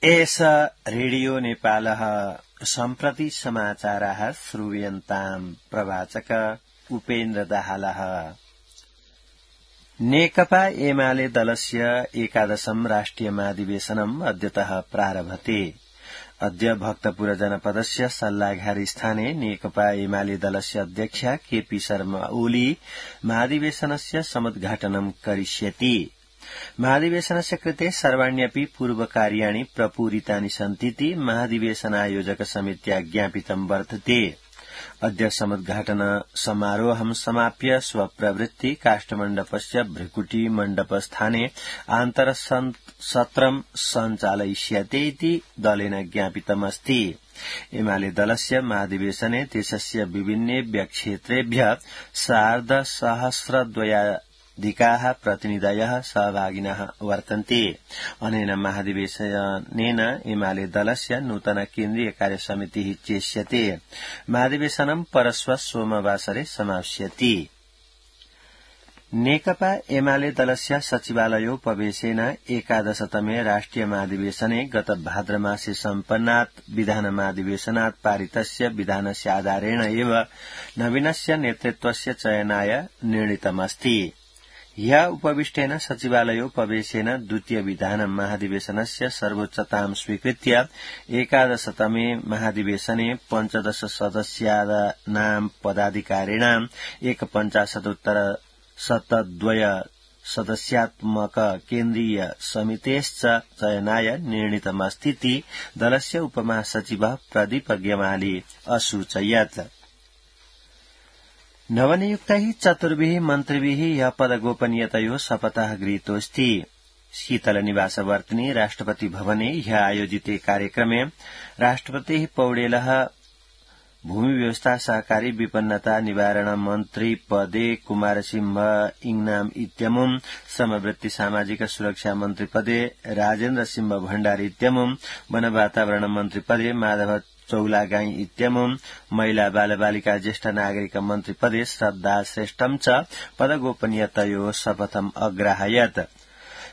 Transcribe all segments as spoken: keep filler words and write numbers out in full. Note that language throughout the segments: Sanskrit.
एष रेडियो नेपालः सम्प्रति समाचाराः श्रूयन्ताम् प्रवाचक उपेन्द्र दाहालः। नेकपा एमाले दलस्य एकादशम् राष्ट्रिय महाधिवेशनम् अद्यतः प्रारभते। अद्य भक्तपुर जनपदस्य सल्लाघारी स्थाने नेकपा एमाले दलस्य अध्यक्ष केपी शर्मा ओली महाधिवेशनस्य समुद्घाटनं करिष्यति। महाधिवेशनस्य कृते सर्वाण्यपि पूर्वकार्याणि प्रपूरितानि सन्तीति महाधिवेशनायोजक समित्या ज्ञापितं वर्तते। अद्य समुद्घाटन समारोहं समाप्य स्वप्रवृत्ति काष्ठमण्डपस्य भृकुटी मण्डपस्थाने आन्तरसत्रं सञ्चालयिष्यते इति दलेन ज्ञापितमस्ति। एमाले दलस्य महाधिवेशने देशस्य विभिन्नेभ्य क्षेत्रेभ्य सार्धसहस्रद्वया अधिकाः प्रतिनिधयः सहभागिनः वर्तन्ते। अनेन महाधिवेशनेन एमाले दलस्य नूतन केन्द्रीय कार्यसमितिः चेष्यते। महाधिवेशनं परश्व सोमवासरे समाप्स्यति। नेकपा एमाले दलस्य सचिवालयोपवेशेन एकादशतमे राष्ट्रिय महाधिवेशने गत भाद्रमासे सम्पन्नात् विधान महाधिवेशनात् पारितस्य विधानस्य आधारेण एव नवीनस्य नेतृत्वस्य चयनाय निर्णीतमस्ति। ह्य उपविष्टेन सचिवालयोपवेशेन द्वितीय विधान महाधिवेशनस्य सर्वोच्चतां स्वीकृत्य एकादशतमे महाधिवेशने पञ्चदश सदस्यानां पदाधिकारिणाम् एकपञ्चाशदुत्तर शतद्वय सदस्यात्मक केन्द्रीय समितेश्च चयनाय निर्णीतमस्तीति दलस्य उपमहासचिवः प्रदीप गेमाली असूचयत्। नवनियुक्तैः चतुर्भिः मन्त्रिभिः यः पदगोपनीयतयोः शपथः गृहीतोऽस्ति। शीतलनिवासवर्तिनि राष्ट्रपति भवने ह्यः आयोजिते कार्यक्रमे राष्ट्रपतिः पौडेलः भूमि व्यवस्था सहकारी विपन्नता निवारण मन्त्री पदे कुमारसिंह इङनाम इत्यमुम् समवृत्ति सामाजिक सुरक्षा मन्त्री पदे राजेन्द्र सिंह भण्डारी इत्यमुम् वन वातावरण मन्त्री पदे माधव चौलागाई इत्यमुम् महिला बालबालिका ज्येष्ठ नागरिक मन्त्री पदे श्रद्धा श्रेष्ठम् च पदगोपनीयतयोः शपथम् अग्राहयत्।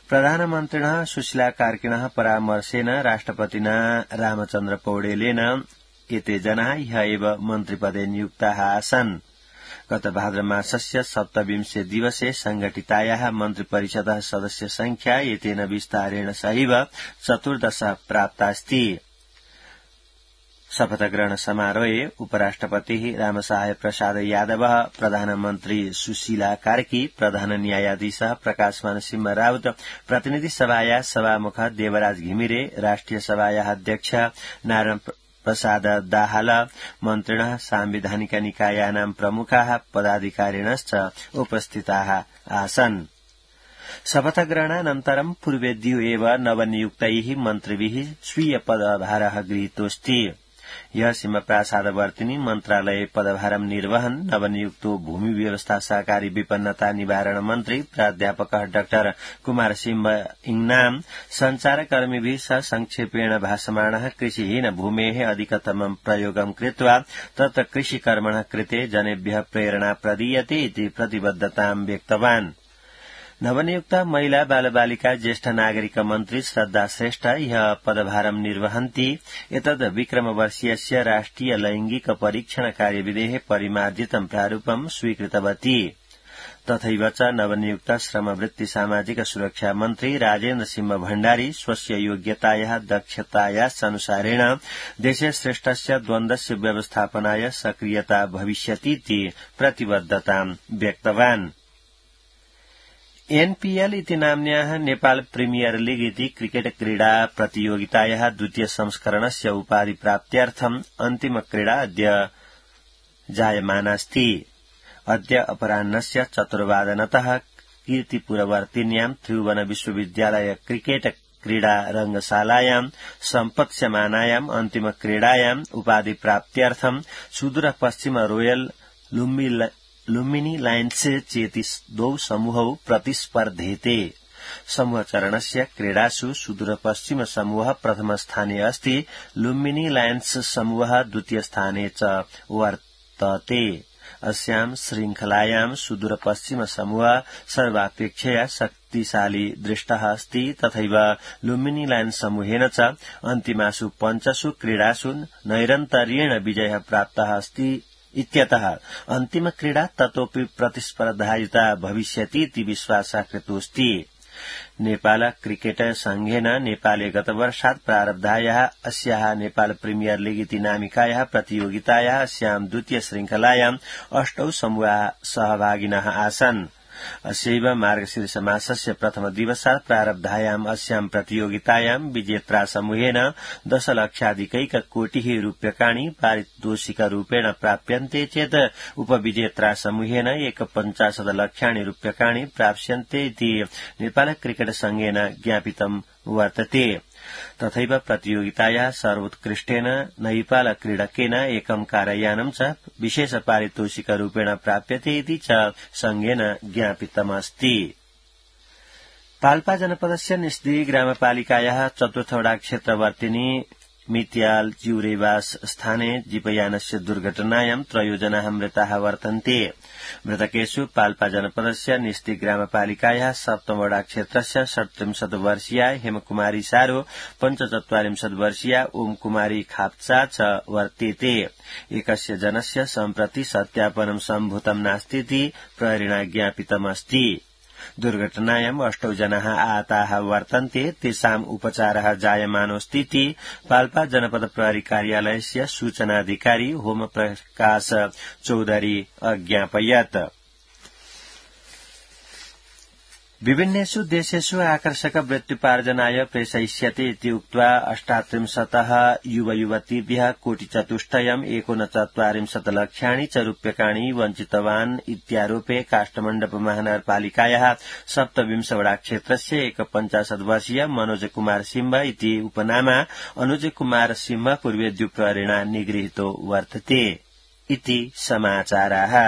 प्रधानमन्त्रिणः सुशीला कार्किणः परामर्शेन राष्ट्रपतिना रामचन्द्र पौडेलेन एते जनाः ह्यः एव मन्त्रिपदे नियुक्ताः आसन्। गत भाद्रमासस्य सप्तविंशे दिवसे संघटितायाः मन्त्रिपरिषदः सदस्य संख्या एतेन विस्तारेण सहैव चतुर्दश प्राप्तास्ति। शपथग्रहण समारोहे उपराष्ट्रपतिः रामसहाय प्रसाद यादवः, प्रधानमन्त्री सुशीला कार्की, प्रधान न्यायाधीशः प्रकाशमान सिंह राउत, प्रतिनिधि सभायाः सभामुख देवराज घिमिरे, राष्ट्रिय सभायाः अध्यक्ष नारायण प्रसाद दाहाल, मन्त्रिणः सांविधानिक निकायानां प्रमुखाः पदाधिकारिणश्च उपस्थिताः आसन्। शपथग्रहणानन्तरं पूर्वेद्यो एव नवनियुक्तैः मन्त्रिभिः स्वीय पदभारः गृहीतोऽस्ति। यह सिंहप्रासादवर्तिनि मन्त्रालये पदभारं निर्वहन् नवनियुक्तो भूमि व्यवस्था सहकारी विपन्नता निवारण मन्त्री प्राध्यापकः डाक्टर कुमार सिंह इङनाम संचारकर्मिभिः सह संक्षेपेण भाषमाणः कृषिहीन भूमेः अधिकतमं प्रयोगं कृत्वा तत्र कृषिकर्मणः कृते जनेभ्यः प्रेरणा प्रदीयते इति प्रतिबद्धतां व्यक्तवान्। नवनियुक्त महिला बालबालिका ज्येष्ठ नागरिक मन्त्री श्रद्धा श्रेष्ठ ह्यः पदभारं निर्वहन्ति। एतद् विक्रमवर्षीयस्य राष्ट्रिय लैंगिक परीक्षण कार्यविधेः परिमार्जितं प्रारूपं स्वीकृतवती। तथैव च नवनियुक्त श्रमवृत्ति सामाजिक सुरक्षा मन्त्री राजेन्द्र सिंह भण्डारी स्वस्य योग्यतायाः दक्षतायाः अनुसारेण देशे श्रेष्ठस्य द्वन्द्वस्य व्यवस्थापनाय सक्रियता भविष्यतीति प्रतिबद्धतां व्यक्तवान्। एनपीएल इति नाम्न्याः नेपाल प्रीमियर लीग इति क्रिकेट क्रीडा प्रतियोगितायाः द्वितीय संस्करणस्य उपाधिप्राप्त्यर्थम् अन्तिम क्रीडा अद्य जायमानास्ति। अद्य अपराह्नस्य चतुर्वादनतः कीर्तिपुरवर्तिन्यां त्रिभुवन विश्वविद्यालय क्रिकेट क्रीडा रंगशालायां सम्पत्स्यमानायाम् अन्तिम क्रीडायाम् उपाधिप्राप्त्यर्थम् सुदूर पश्चिम रोयल लुम्बिनी लायन्स चेति द्वौ समूहौ प्रतिस्पर्धेते। समूह चरणस्य क्रीडासु सुदूर पश्चिम समूह प्रथम स्थाने अस्ति। लुम्बिनी लायन्स समूह द्वितीय स्थाने च वर्तते। अस्यां श्रृंखलायां सुदूरपश्चिम समूह सर्वापेक्षया शक्तिशाली दृष्टः अस्ति तथैव लुम्बिनी लायन समूहेन च अन्तिमासु पञ्चसु क्रीडासु नैरन्तर्येण विजयः प्राप्तः अस्ति इत्यतः अन्तिम क्रीडा ततोऽपि प्रतिस्पर्धायुता भविष्यतीति विश्वासः कृतोऽस्ति। नेपाल क्रिकेट संघेन नेपाले गतवर्षात् प्रारब्धायाः अस्याः नेपाल प्रीमियर लीग इति नामिकायाः प्रतियोगितायाः अस्यां द्वितीय श्रृंखलायाम् अष्टौ समूहाः सहभागिनः आसन्। अस्यैव मार्गशीर्ष मासस्य प्रथम दिवसात् प्रारब्धायाम् अस्यां प्रतियोगितायां विजेत्रा समूहेन दशलक्षाधिकैक कोटिः रूप्यकाणि पारितोषिकरूपेण प्राप्यन्ते चेत् उपविजेत्रा समूहेन एकपञ्चाशत् लक्षाणि रूप्यकाणि प्राप्स्यन्ते इति नेपाल क्रिकेट संघेन ज्ञापितं वर्तते। तथैव प्रतियोगितायाः सर्वोत्कृष्टेन नेपाल क्रीडकेन एकं कारयानं च विशेष पारितोषिकरूपेण प्राप्यते इति च संघेन ज्ञापितमस्ति। पाल्पा जनपदस्य निस्दी ग्रामपालिकायाः चतुर्थवटा क्षेत्रवर्तिनी मित्याल जिउरेवास स्थाने जीपयानस्य दुर्घटनायां त्रयो जनाः मृताः वर्तन्ते। मृतकेषु पाल्पा जनपदस्य निस्दी ग्रामपालिकायाः सप्तमवटा क्षेत्रस्य षट्त्रिंशत् वर्षीया हेमकुमारी सारो पञ्चचत्वारिंशत् वर्षीया ओम कुमारी खाप्चा च वर्तेते। एकस्य जनस्य सम्प्रति सत्यापनं सम्भूतं नास्तीति प्रहरिणा ज्ञापितमस्ति। दुर्घटनायाम् अष्टौ जनाः आहताः वर्तन्ते तेषाम् उपचारः जायमानोऽस्तीति पाल्पा जनपद प्रहरी कार्यालयस्य सूचनाधिकारी होम प्रकाश चौधरी अज्ञापयत्। विभिन्नेषु देशेषु आकर्षक वृत्त्युपार्जनाय प्रेषयिष्यते इति उक्त्वा अष्टात्रिंशतः युवयुवतीभ्यः कोटिचतुष्टयम् एकोनचत्वारिंशत् लक्षाणि च रूप्यकाणि वञ्चितवान् इत्यारोपे काष्ठमण्डप महानगरपालिकायाः सप्तविंशवटा क्षेत्रस्य एकपञ्चाशत् वर्षीय मनोज कुमार सिंह इति उपनामा अनुज कुमार सिंह पूर्वेद्यु प्रहरिणा निगृहीतो वर्तते इति समाचाराः।